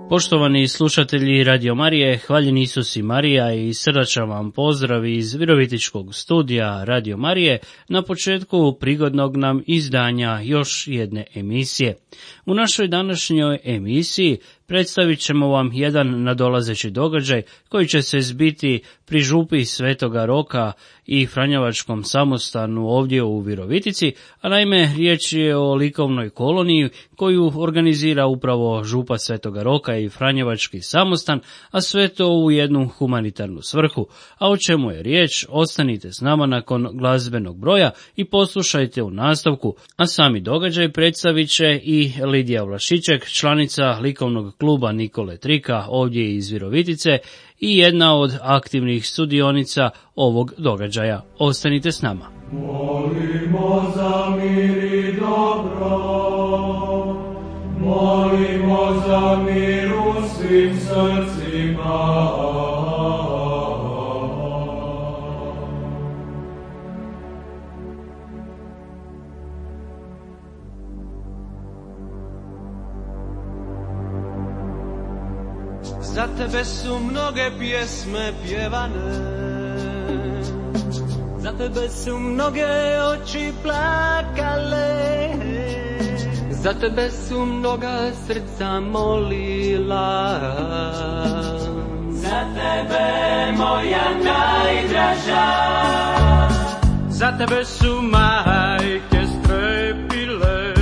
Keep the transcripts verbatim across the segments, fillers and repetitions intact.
Poštovani slušatelji Radio Marije, hvaljen Isus i Marija i srdačan vam pozdrav iz Virovitičkog studija Radio Marije na početku prigodnog nam izdanja još jedne emisije. U našoj današnjoj emisiji predstavit ćemo vam jedan nadolazeći događaj koji će se zbiti pri župi Svetoga Roka i Franjevačkom samostanu ovdje u Virovitici, a naime riječ je o likovnoj koloniji koju organizira upravo župa Svetoga Roka i Franjevački samostan, a sve to u jednu humanitarnu svrhu. A o čemu je riječ, ostanite s nama nakon glazbenog broja i poslušajte u nastavku, a sami događaj predstavit će i Lidija Vlašiček, članica likovnog kluba Nikole Trika ovdje iz Virovitice i jedna od aktivnih sudionica ovog događaja. Ostanite s nama. Molimo za mir i dobro, molimo za mir u svim srcima. Za tebe su mnoge pjesme pjevane, za tebe su mnoge oči plakale, za tebe su mnoga srca molila, za tebe moja najdraža, za tebe su majke strepile,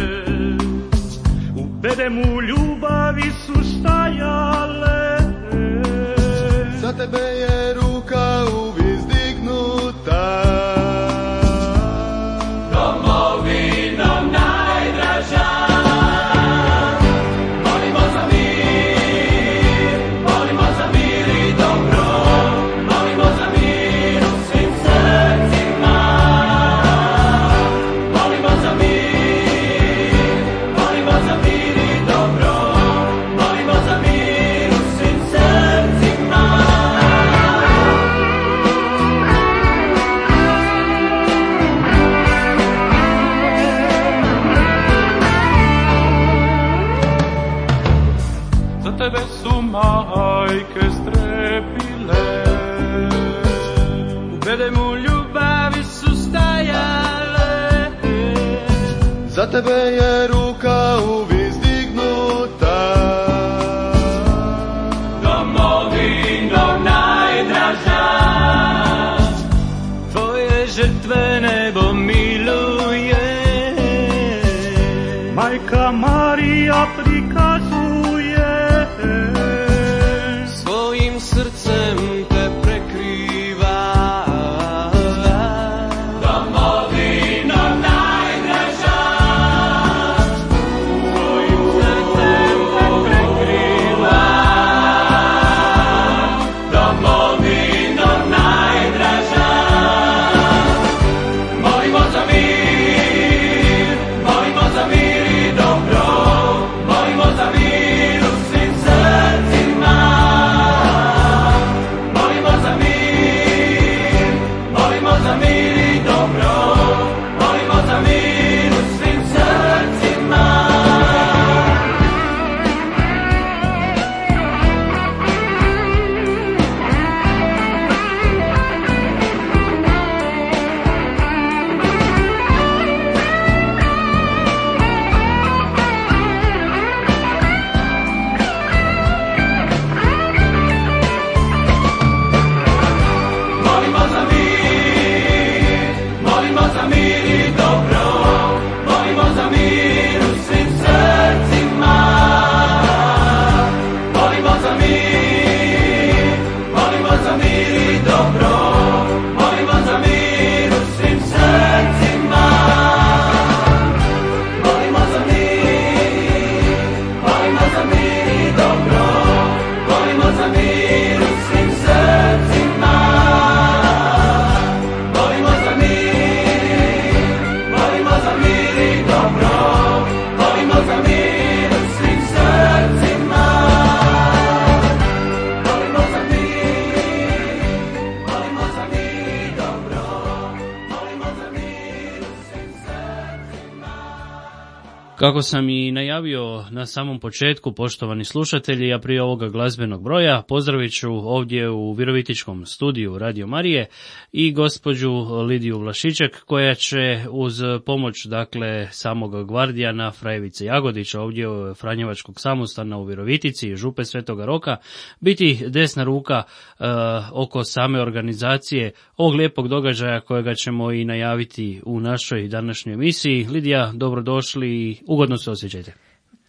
u bedemu ljubavi su stajale. Za tebe je ruka uvijek dignuta, domovino najdraža. Molimo za mir, molimo za mir i dobro, molimo za mir u svim srcima. Molimo za mir, molimo za mir i dobro, molimo za mir u svim srcima. Za tebe su majke strepile, u bedemu ljubavi su stajale. za tebe je ruka uvijek dignuta, Domovino najdraža, Tvoje žrtve nebo miluje, Majka Marija prikazuje, svojim srcem te prekriva. domovino najdraža, Svojim srcem te prekriva. domovino najdraža. Molimo za mir, molimo za mir i dobro, molimo za mir Kako sam i najavio na samom početku, poštovani slušatelji, a prije ovoga glazbenog broja, pozdravit ću ovdje u Virovitičkom studiju Radio Marije i gospođu Lidiju Vlašiček, koja će uz pomoć, dakle, samog gvardijana Frajevice Jagodića ovdje u Franjevačkog samostana u Virovitici, župe Svetoga Roka, biti desna ruka e, oko same organizacije ovog lijepog događaja kojega ćemo i najaviti u našoj današnjoj emisiji. Lidija, dobrodošli i ugodno se osjećajte.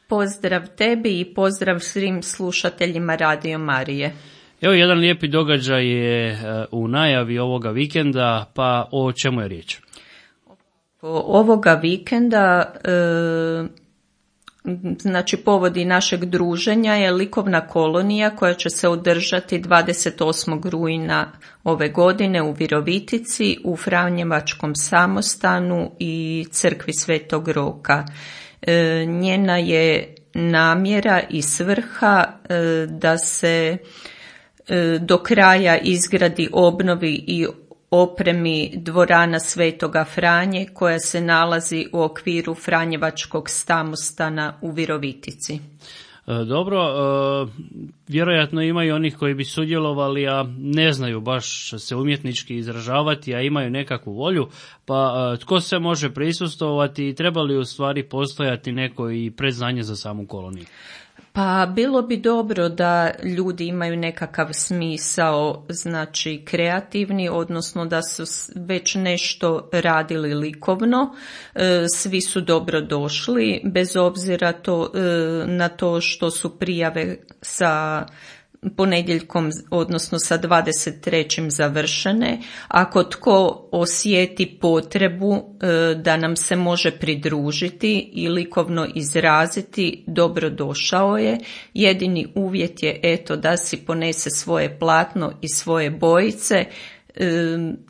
Pozdrav tebi i pozdrav svim slušateljima Radio Marije. Evo, jedan lijepi događaj je u najavi ovoga vikenda, pa o čemu je riječ? Ovoga vikenda, e, znači povodi našeg druženja je likovna kolonija koja će se održati dvadeset osmog rujna ove godine u Virovitici, u Franjevačkom samostanu i crkvi Svetog Roka. E, njena je namjera i svrha e, da se e, do kraja izgradi, obnovi i opremi dvorana Svetoga Franje koja se nalazi u okviru Franjevačkog samostana u Virovitici. Dobro, vjerojatno ima i onih koji bi sudjelovali, a ne znaju baš se umjetnički izražavati, a imaju nekakvu volju, pa tko se može prisustvovati i treba li u stvari postojati neko i predznanje za samu koloniju? Pa bilo bi dobro da ljudi imaju nekakav smisao, znači kreativni, odnosno da su već nešto radili likovno. Svi su dobro došli, bez obzira to, na to što su prijave sa ponedjeljkom, odnosno sa dvadeset trećim završene. Ako tko osjeti potrebu da nam se može pridružiti i likovno izraziti, dobro došao je. Jedini uvjet je eto da si ponese svoje platno i svoje bojice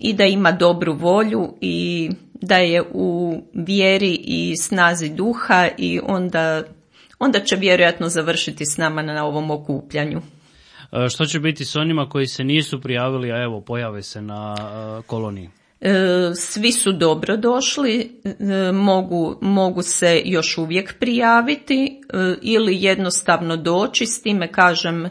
i da ima dobru volju i da je u vjeri i snazi duha i onda, onda će vjerojatno završiti s nama na ovom okupljanju. Što će biti s onima koji se nisu prijavili, a evo pojave se na koloniji? Svi su dobro došli, mogu, mogu se još uvijek prijaviti ili jednostavno doći, s time kažem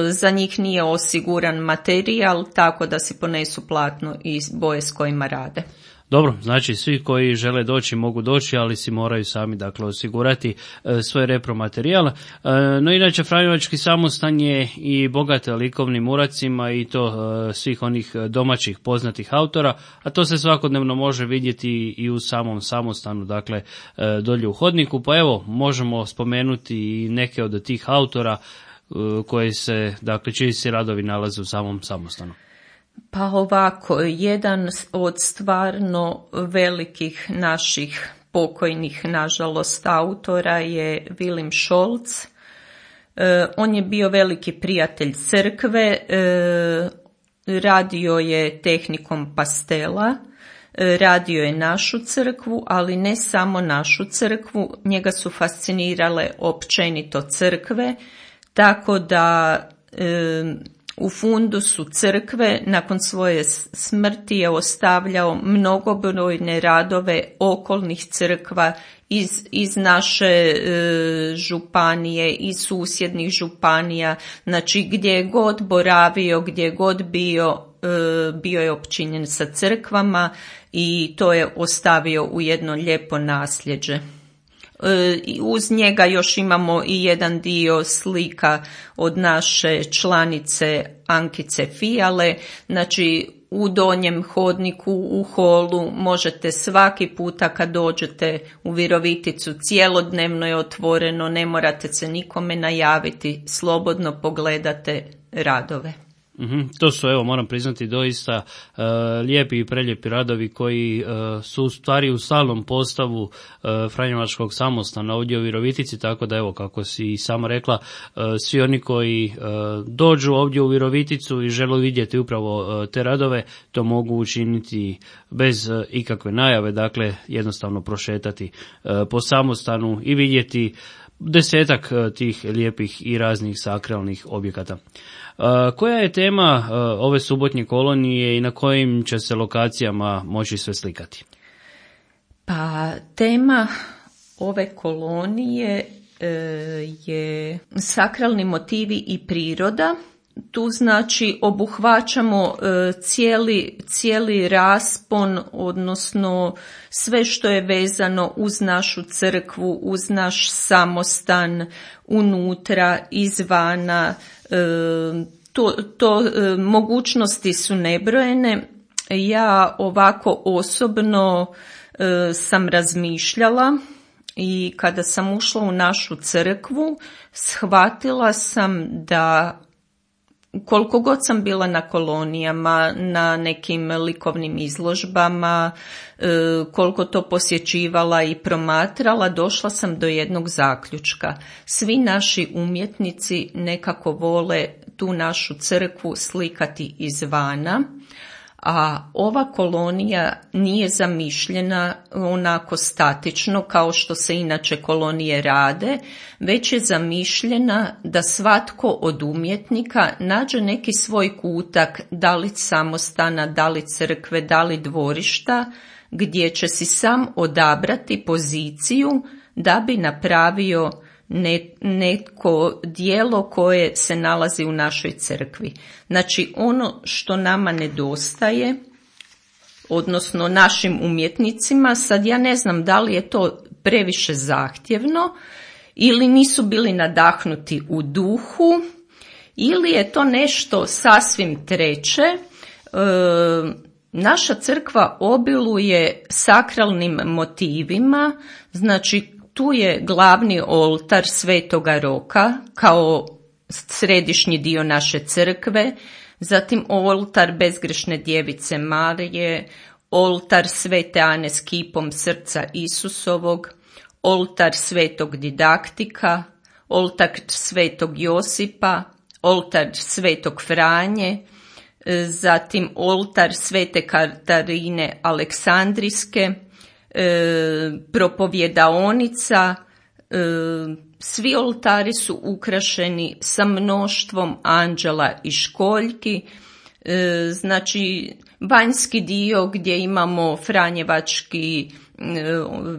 za njih nije osiguran materijal, tako da si ponesu platno i boje s kojima rade. Dobro, znači svi koji žele doći mogu doći, ali si moraju sami dakle osigurati e, svoj repromaterijal. E, no inače, Franjevački samostan je i bogat likovnim uracima i to e, svih onih domaćih poznatih autora, a to se svakodnevno može vidjeti i u samom samostanu, dakle e, dolje u hodniku. Pa evo, možemo spomenuti i neke od tih autora e, koji se, dakle, čiji se radovi nalaze u samom samostanu. Pa ovako, jedan od stvarno velikih naših pokojnih, nažalost, autora je Vilim Šolc. E, on je bio veliki prijatelj crkve, e, radio je tehnikom pastela, e, radio je našu crkvu, ali ne samo našu crkvu, njega su fascinirale općenito crkve, tako da e, u fundusu crkve nakon svoje smrti je ostavljao mnogobrojne radove okolnih crkva iz, iz naše e, županije, iz susjednih županija, znači gdje je god boravio, gdje je god bio, e, bio je opčinjen sa crkvama i to je ostavio u jedno lijepo nasljeđe. Uz njega još imamo i jedan dio slika od naše članice Ankice Fijale, znači u donjem hodniku, u holu možete svaki puta kad dođete u Viroviticu, cijelodnevno je otvoreno, ne morate se nikome najaviti, slobodno pogledate radove. Mm-hmm. To su, evo, moram priznati, doista uh, lijepi i prelijepi radovi koji uh, su u stvari u stalnom postavu uh, Franjevačkog samostana ovdje u Virovitici, tako da, evo, kako si i sama rekla, uh, svi oni koji uh, dođu ovdje u Viroviticu i žele vidjeti upravo uh, te radove, to mogu učiniti bez uh, ikakve najave, dakle, jednostavno prošetati uh, po samostanu i vidjeti desetak uh, tih lijepih i raznih sakralnih objekata. Uh, koja je tema uh, ove subotnje kolonije i na kojim će se lokacijama moći sve slikati? Pa tema ove kolonije e, je sakralni motivi i priroda. Tu znači obuhvaćamo e, cijeli, cijeli raspon, odnosno sve što je vezano uz našu crkvu, uz naš samostan, unutra, izvana. E, to, to e, mogućnosti su nebrojene. Ja ovako osobno e, sam razmišljala i kada sam ušla u našu crkvu, shvatila sam da koliko god sam bila na kolonijama, na nekim likovnim izložbama, koliko to posjećivala i promatrala, došla sam do jednog zaključka. Svi naši umjetnici nekako vole tu našu crkvu slikati izvana, a ova kolonija nije zamišljena onako statično kao što se inače kolonije rade, već je zamišljena da svatko od umjetnika nađe neki svoj kutak, da li samostana, da li crkve, da li dvorišta, gdje će si sam odabrati poziciju da bi napravio neko djelo koje se nalazi u našoj crkvi. Znači ono što nama nedostaje, odnosno našim umjetnicima, sad ja ne znam da li je to previše zahtjevno ili nisu bili nadahnuti u duhu ili je to nešto sasvim treće. E, naša crkva obiluje sakralnim motivima, znači tu je glavni oltar Svetoga Roka kao središnji dio naše crkve, zatim oltar Bezgrešne djevice Marije, oltar Svete Ane s kipom srca Isusovog, oltar Svetog Didaktika, oltar Svetog Josipa, oltar Svetog Franje, zatim oltar Svete Katarine Aleksandrijske, E, propovjedaonica, e, svi oltari su ukrašeni sa mnoštvom anđela i školjki, e, znači vanjski dio gdje imamo Franjevački e,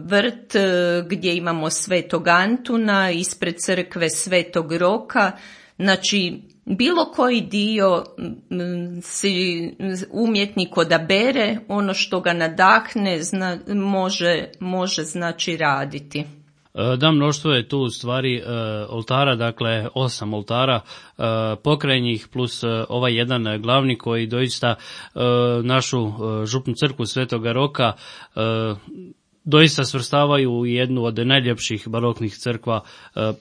vrt, e, gdje imamo Svetog Antuna, ispred crkve Svetog Roka, znači bilo koji dio si umjetnik odabere, ono što ga nadahne zna, može, može znači raditi. Da, mnoštvo je tu u stvari oltara, dakle osam oltara pokrajnjih plus ovaj jedan glavni koji doista našu župnu crkvu Svetoga Roka doista svrstavaju u jednu od najljepših baroknih crkva,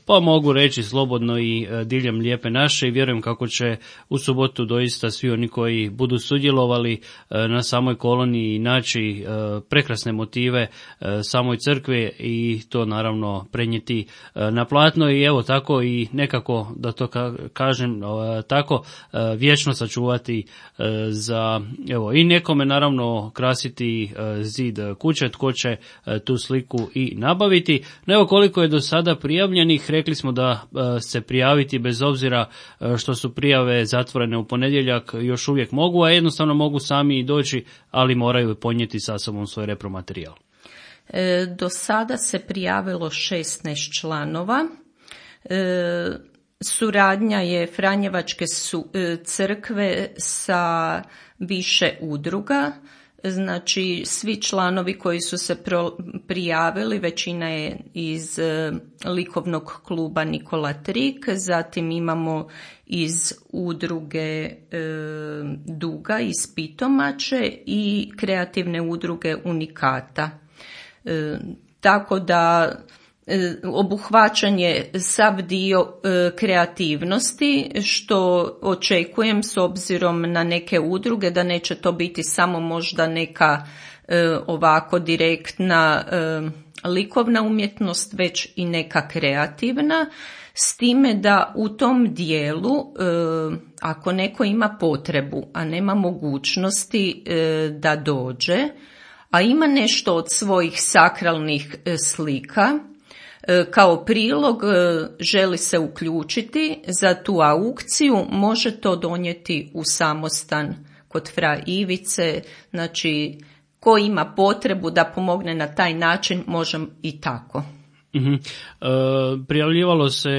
pa mogu reći slobodno i diljem Lijepe naše, i vjerujem kako će u subotu doista svi oni koji budu sudjelovali na samoj koloniji naći prekrasne motive samoj crkve i to naravno prenijeti na platno i evo tako i nekako, da to kažem tako, vječno sačuvati za evo i nekome naravno krasiti zid kuće, tko će tu sliku i nabaviti. No evo koliko je do sada prijavljenih, rekli smo da se prijaviti bez obzira što su prijave zatvorene u ponedjeljak još uvijek mogu, a jednostavno mogu sami i doći, ali moraju ponijeti sa sobom svoj repromaterijal. E, do sada se prijavilo šesnaest članova. E, suradnja je Franjevačke su, e, crkve sa više udruga. Znači, svi članovi koji su se pro, prijavili, većina je iz e, likovnog kluba Nikola Trik, zatim imamo iz udruge e, Duga iz Pitomače i kreativne udruge Unikata. E, tako da obuhvaćan je sav dio e, kreativnosti, što očekujem s obzirom na neke udruge da neće to biti samo možda neka e, ovako direktna e, likovna umjetnost, već i neka kreativna, s time da u tom dijelu e, ako neko ima potrebu, a nema mogućnosti e, da dođe, a ima nešto od svojih sakralnih e, slika, kao prilog želi se uključiti za tu aukciju, može to donijeti u samostan kod fra Ivice, znači ko ima potrebu da pomogne na taj način može i tako. Uh-huh. E, prijavljivalo se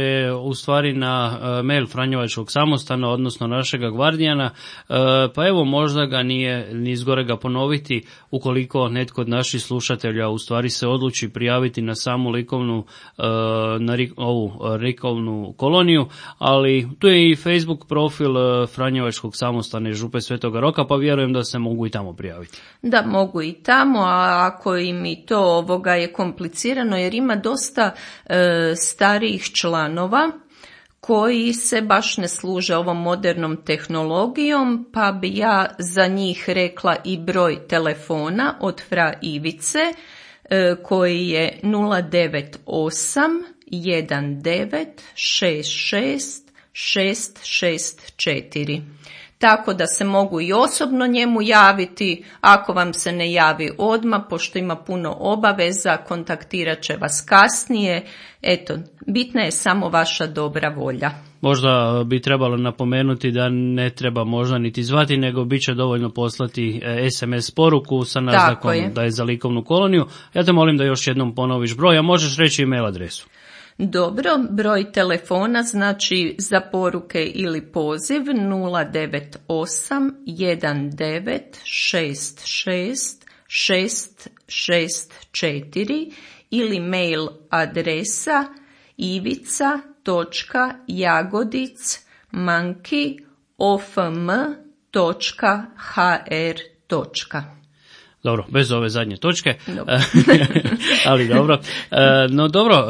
u stvari na e, mail Franjevačkog samostana, odnosno našega Gvardijana, e, pa evo možda ga nije ni zgorega ponoviti ukoliko netko od naših slušatelja u stvari se odluči prijaviti na samu likovnu, e, na ri, ovu likovnu koloniju, ali tu je i Facebook profil e, Franjevačkog samostana i Župe Svetoga Roka, pa vjerujem da se mogu i tamo prijaviti. Da, mogu i tamo, a ako im i to ovoga je komplicirano, jer ima dosta e, starijih članova koji se baš ne služe ovom modernom tehnologijom, pa bi ja za njih rekla i broj telefona od Fra Ivice e, koji je nula devet osam jedan devet šest šest šest šest četiri. Tako da se mogu i osobno njemu javiti, ako vam se ne javi odmah, pošto ima puno obaveza, kontaktirat će vas kasnije. Eto, bitna je samo vaša dobra volja. Možda bi trebalo napomenuti da ne treba možda niti zvati, nego bit će dovoljno poslati es em es poruku sa naznakom je. Da je za likovnu koloniju. Ja te molim da još jednom ponoviš broj, a možeš reći email adresu. Dobro, broj telefona znači za poruke ili poziv nula devet osam jedan devet šest šest šest šest četiri ili mail adresa ivica točka jagodic manki ofm točka hr. Dobro, bez ove zadnje točke, Dobro. ali dobro. No dobro,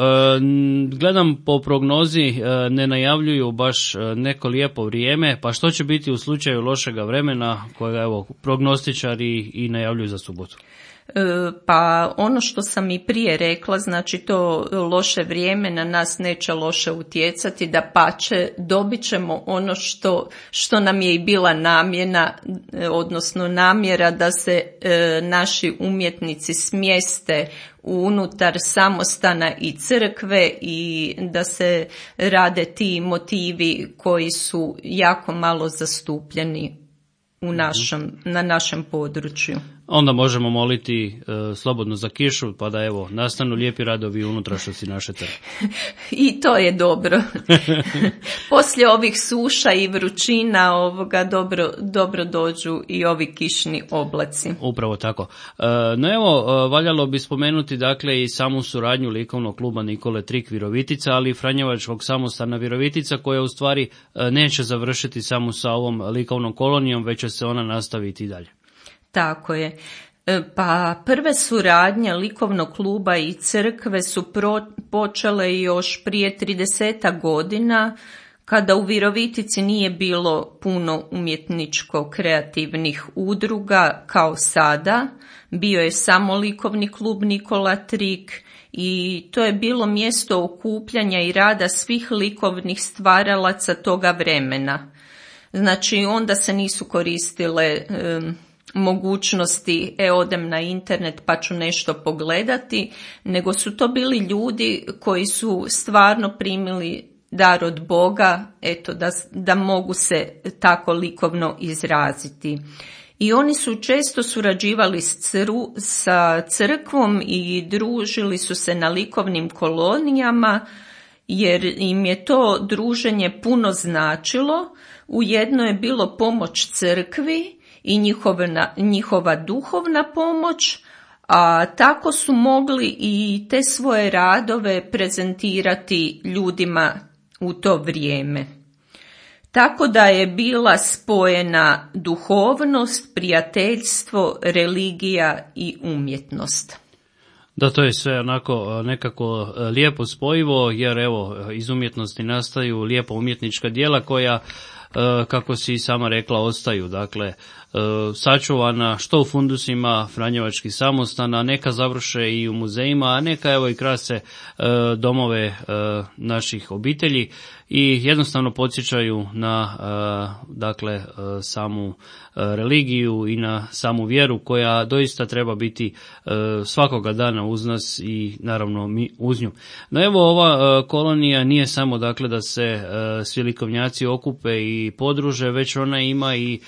gledam po prognozi, ne najavljuju baš neko lijepo vrijeme, pa što će biti u slučaju lošega vremena kojega evo prognostičari i najavljuju za subotu? Pa ono što sam i prije rekla, znači to loše vrijeme na nas neće loše utjecati, dapače dobit ćemo ono što, što nam je i bila namjena, odnosno namjera da se e, naši umjetnici smjeste unutar samostana i crkve i da se rade ti motivi koji su jako malo zastupljeni u našem, na našem području. Onda možemo moliti e, slobodno za kišu, pa da evo nastanu lijepi radovi u unutrašnjosti naše crkve. I to je dobro. Poslije ovih suša i vrućina ovoga dobro, dobro dođu i ovi kišni oblaci. Upravo tako. E, no evo, e, valjalo bi spomenuti dakle i samu suradnju likovnog kluba Nikole Trik Virovitica, ali i Franjevačkog samostana Virovitica, koja u stvari e, neće završiti samo sa ovom likovnom kolonijom, već će se ona nastaviti i dalje. Tako je. Pa prve suradnje likovnog kluba i crkve su pro, počele još prije tridesetak godina, kada u Virovitici nije bilo puno umjetničko-kreativnih udruga kao sada. Bio je samo likovni klub Nikola Trik i to je bilo mjesto okupljanja i rada svih likovnih stvaralaca toga vremena. Znači onda se nisu koristile um, mogućnosti, e odem na internet pa ću nešto pogledati, nego su to bili ljudi koji su stvarno primili dar od Boga, eto da, da mogu se tako likovno izraziti. I oni su često surađivali s cru, sa crkvom i družili su se na likovnim kolonijama, jer im je to druženje puno značilo. Ujedno je bilo pomoć crkvi i njihova, njihova duhovna pomoć, a tako su mogli i te svoje radove prezentirati ljudima u to vrijeme. Tako da je bila spojena duhovnost, prijateljstvo, religija i umjetnost. Da, to je sve onako nekako lijepo spojivo, jer evo iz umjetnosti nastaju lijepa umjetnička djela koja, kako si i sama rekla, ostaju, dakle, sačuvana što u fundusima Franjevačkih samostana, neka završe i u muzejima, a neka evo i krase domove naših obitelji i jednostavno podsjećaju na dakle samu religiju i na samu vjeru koja doista treba biti svakoga dana uz nas i naravno mi uz nju. No evo, ova kolonija nije samo dakle da se svi likovnjaci okupe i podruže, već ona ima i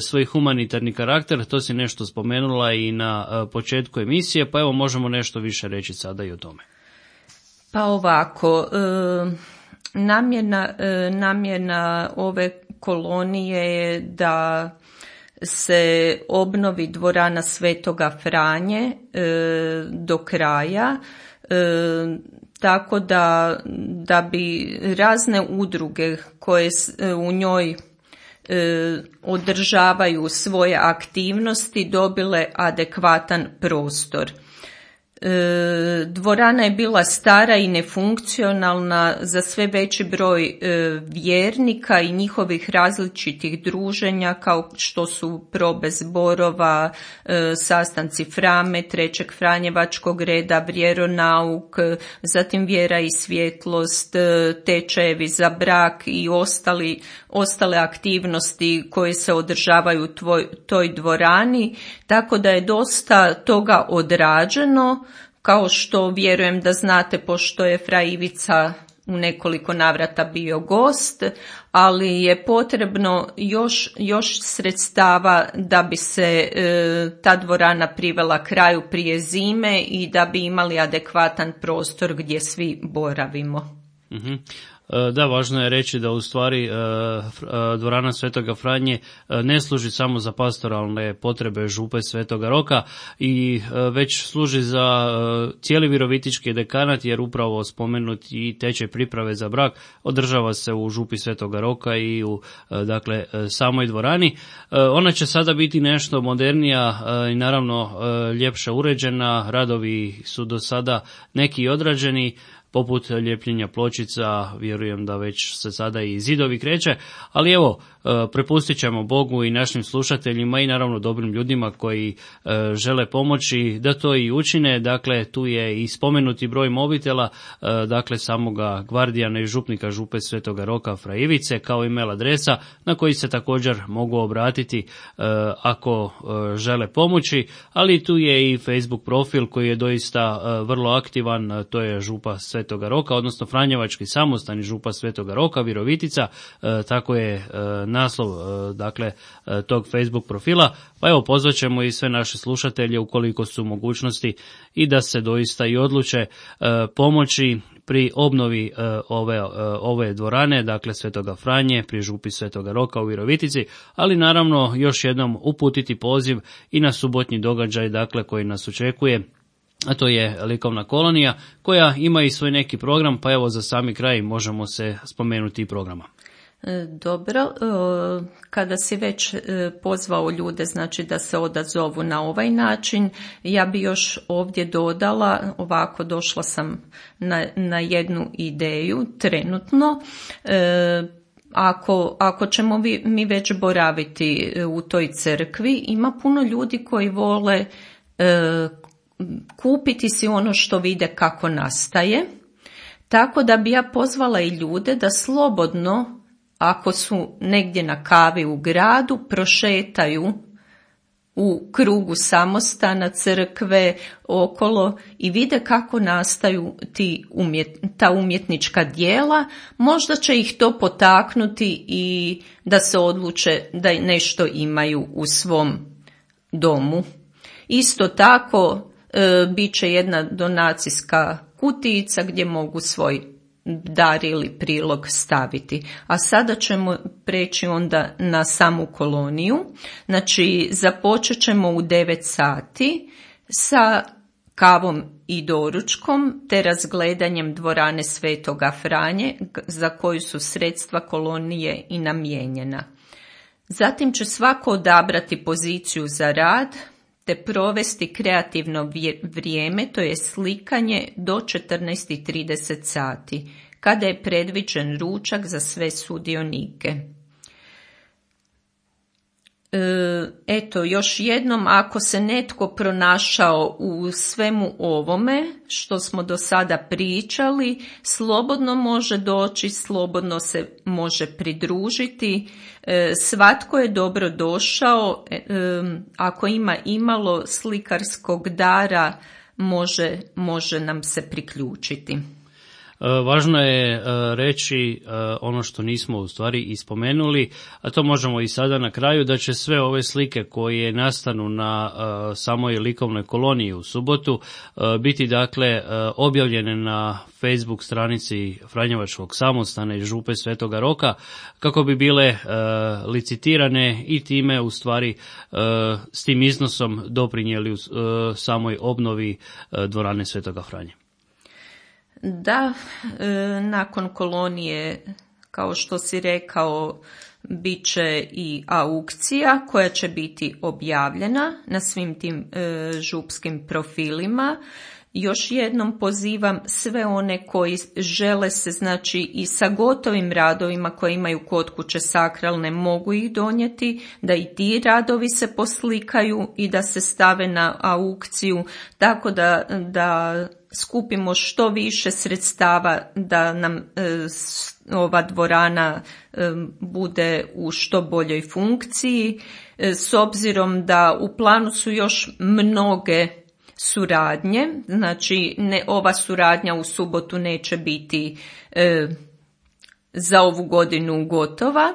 svoj humanitarni karakter, to si nešto spomenula i na početku emisije, pa evo možemo nešto više reći sada i o tome. Pa ovako, e, namjena, e, namjena ove kolonije je da se obnovi dvorana Svetoga Franje e, do kraja, e, tako da, da bi razne udruge koje u njoj e, održavaju svoje aktivnosti dobile adekvatan prostor. E, dvorana je bila stara i nefunkcionalna za sve veći broj e, vjernika i njihovih različitih druženja kao što su probe zborova, e, sastanci Frame, Trećeg Franjevačkog reda, vjeronauk, zatim vjera i svjetlost, e, tečajevi za brak i ostali, ostale aktivnosti koje se održavaju u tvoj, toj dvorani, tako da je dosta toga odrađeno. Kao što vjerujem da znate, pošto je fra Ivica u nekoliko navrata bio gost, ali je potrebno još, još sredstava da bi se e, ta dvorana privela kraju prije zime i da bi imali adekvatan prostor gdje svi boravimo. Mhm. Da, važno je reći da u stvari dvorana Svetoga Franje ne služi samo za pastoralne potrebe župe Svetoga Roka i već služi za cijeli virovitički dekanat, jer upravo spomenuti i tečaj priprave za brak održava se u župi Svetoga Roka i u dakle samoj dvorani. Ona će sada biti nešto modernija i naravno ljepše uređena. Radovi su do sada neki odrađeni, poput ljepljenja pločica, vjerujem da već se sada i zidovi kreće, ali evo, prepustit ćemo Bogu i našim slušateljima i naravno dobrim ljudima koji žele pomoći da to i učine. Dakle, tu je i spomenuti broj mobitela, dakle samoga gvardijana i župnika župe Svetoga Roka fra Ivice, kao i mail adresa na koji se također mogu obratiti ako žele pomoći, ali tu je i Facebook profil koji je doista vrlo aktivan, to je župa Svetoga Roka, odnosno Franjevački samostani župa Svetoga Roka, Virovitica, tako je naslov dakle tog Facebook profila. Pa evo, pozvaćemo i sve naše slušatelje ukoliko su mogućnosti i da se doista i odluče pomoći pri obnovi ove, ove dvorane, dakle Svetoga Franje, pri župi Svetoga Roka u Virovitici, ali naravno još jednom uputiti poziv i na subotnji događaj, dakle koji nas očekuje, a to je likovna kolonija koja ima i svoj neki program, pa evo za sami kraj možemo se spomenuti i programa. Dobro, kada si već pozvao ljude, znači da se odazovu na ovaj način, ja bi još ovdje dodala, ovako došla sam na, na jednu ideju trenutno. Ako, ako ćemo vi, mi već boraviti u toj crkvi, ima puno ljudi koji vole kupiti si ono što vide kako nastaje, tako da bi ja pozvala i ljude da slobodno, ako su negdje na kavi u gradu, prošetaju u krugu samostana, crkve, okolo i vide kako nastaju ti umjet, ta umjetnička djela. Možda će ih to potaknuti i da se odluče da nešto imaju u svom domu. Isto tako e, bit će jedna donacijska kutijica gdje mogu svoj dar ili prilog staviti. A sada ćemo preći onda na samu koloniju. Znači, započet ćemo u devet sati sa kavom i doručkom te razgledanjem dvorane Svetoga Franje za koju su sredstva kolonije i namijenjena. Zatim će svako odabrati poziciju za rad te provesti kreativno vrijeme, to je slikanje do četrnaest i trideset sati, kada je predviđen ručak za sve sudionike. Eto, još jednom, ako se netko pronašao u svemu ovome što smo do sada pričali, slobodno može doći, slobodno se može pridružiti. Svatko je dobro došao, ako ima imalo slikarskog dara, može, može nam se priključiti. Važno je reći ono što nismo u stvari ispomenuli, a to možemo i sada na kraju, da će sve ove slike koje nastanu na samoj likovnoj koloniji u subotu biti dakle objavljene na Facebook stranici Franjevačkog samostana i Župe Svetoga Roka, kako bi bile licitirane i time u stvari s tim iznosom doprinijeli u samoj obnovi dvorane Svetoga Franje. Da, nakon kolonije, kao što si rekao, bit će i aukcija koja će biti objavljena na svim tim župskim profilima. Još jednom pozivam sve one koji žele se, znači i sa gotovim radovima koji imaju kod kuće sakralne, mogu ih donijeti, da i ti radovi se poslikaju i da se stave na aukciju, tako da, da skupimo što više sredstava da nam e, ova dvorana e, bude u što boljoj funkciji, e, s obzirom da u planu su još mnoge suradnje, znači ne, ova suradnja u subotu neće biti e, za ovu godinu gotova.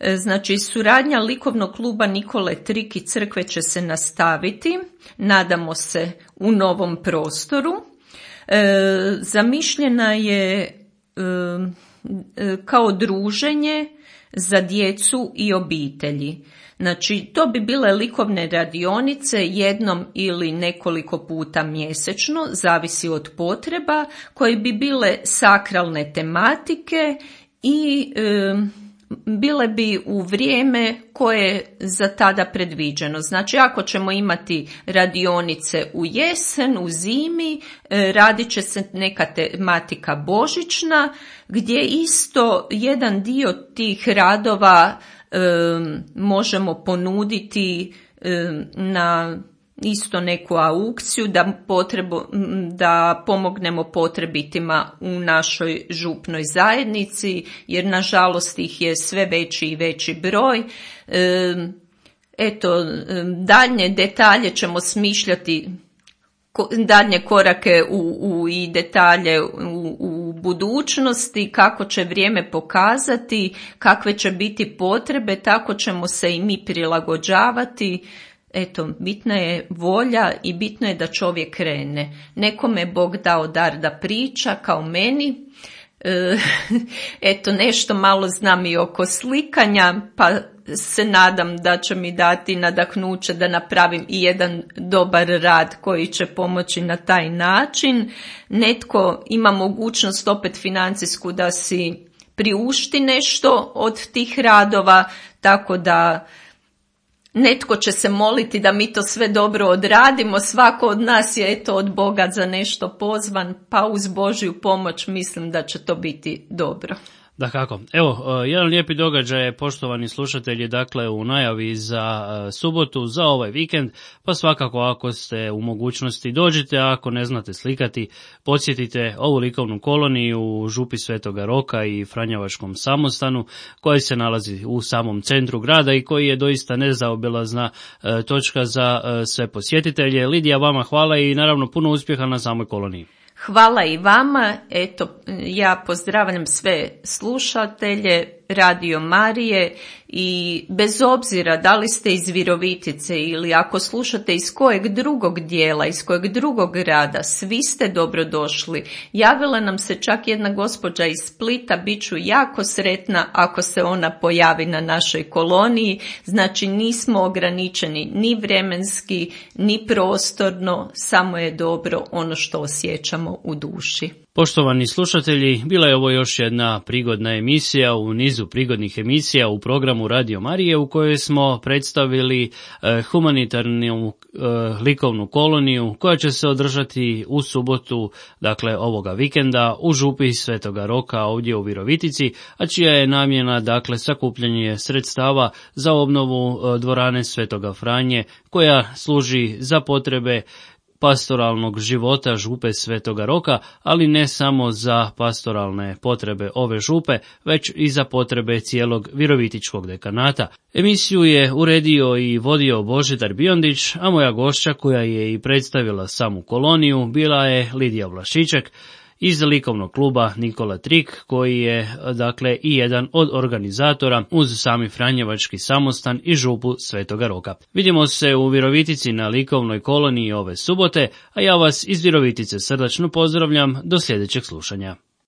E, znači suradnja likovnog kluba Nikole Trik i crkve će se nastaviti, nadamo se u novom prostoru. E, zamišljena je e, e, kao druženje za djecu i obitelji. Znači, to bi bile likovne radionice jednom ili nekoliko puta mjesečno, zavisi od potreba, koje bi bile sakralne tematike i e, bile bi u vrijeme koje je za tada predviđeno. Znači, ako ćemo imati radionice u jesen, u zimi, e, radit će se neka tematika božićna, gdje isto jedan dio tih radova e, možemo ponuditi e, na isto neku aukciju da, potrebu, da pomognemo potrebitima u našoj župnoj zajednici, jer nažalost ih je sve veći i veći broj. E, eto, daljnje detalje ćemo smišljati, daljnje korake u, u, i detalje u, u budućnosti, kako će vrijeme pokazati, kakve će biti potrebe, tako ćemo se i mi prilagođavati. Eto, bitna je volja i bitno je da čovjek krene. Nekome je Bog dao dar da priča, kao meni. E, eto, nešto malo znam i oko slikanja, pa se nadam da će mi dati nadahnuće da napravim i jedan dobar rad koji će pomoći na taj način. Netko ima mogućnost opet financijsku da si priušti nešto od tih radova, tako da netko će se moliti da mi to sve dobro odradimo. Svako od nas je eto od Boga za nešto pozvan, pa uz Božju pomoć mislim da će to biti dobro. Da kako. Evo, jedan lijepi događaj je, poštovani slušatelji, dakle u najavi za subotu, za ovaj vikend, pa svakako ako ste u mogućnosti dođite, a ako ne znate slikati, podsjetite ovu likovnu koloniju u Župi Svetoga Roka i Franjevačkom samostanu, koji se nalazi u samom centru grada i koji je doista nezaobilazna točka za sve posjetitelje. Lidija, vama hvala i naravno puno uspjeha na samoj koloniji. Hvala i vama. Eto, ja pozdravljam sve slušatelje Radio Marije i bez obzira da li ste iz Virovitice ili ako slušate iz kojeg drugog dijela, iz kojeg drugog grada, svi ste dobrodošli. Javila nam se čak jedna gospođa iz Splita, bit ću jako sretna ako se ona pojavi na našoj koloniji. Znači nismo ograničeni ni vremenski, ni prostorno, samo je dobro ono što osjećamo u duši. Poštovani slušatelji, bila je ovo još jedna prigodna emisija u nizu prigodnih emisija u programu Radio Marije, u kojoj smo predstavili eh, humanitarnu eh, likovnu koloniju koja će se održati u subotu, dakle ovoga vikenda, u Župi Svetoga Roka ovdje u Virovitici, a čija je namjena dakle sakupljanje sredstava za obnovu eh, dvorane Svetoga Franje, koja služi za potrebe pastoralnog života Župe Svetoga Roka, ali ne samo za pastoralne potrebe ove župe, već i za potrebe cijelog Virovitičkog dekanata. Emisiju je uredio i vodio Božidar Biondić, a moja gošća koja je i predstavila samu koloniju bila je Lidija Vlašiček. iz likovnog kluba Nikola Trik, koji je dakle i jedan od organizatora uz sami Franjevački samostan i župu Svetoga Roka. Vidimo se u Virovitici na likovnoj koloniji ove subote, a ja vas iz Virovitice srdačno pozdravljam do sljedećeg slušanja.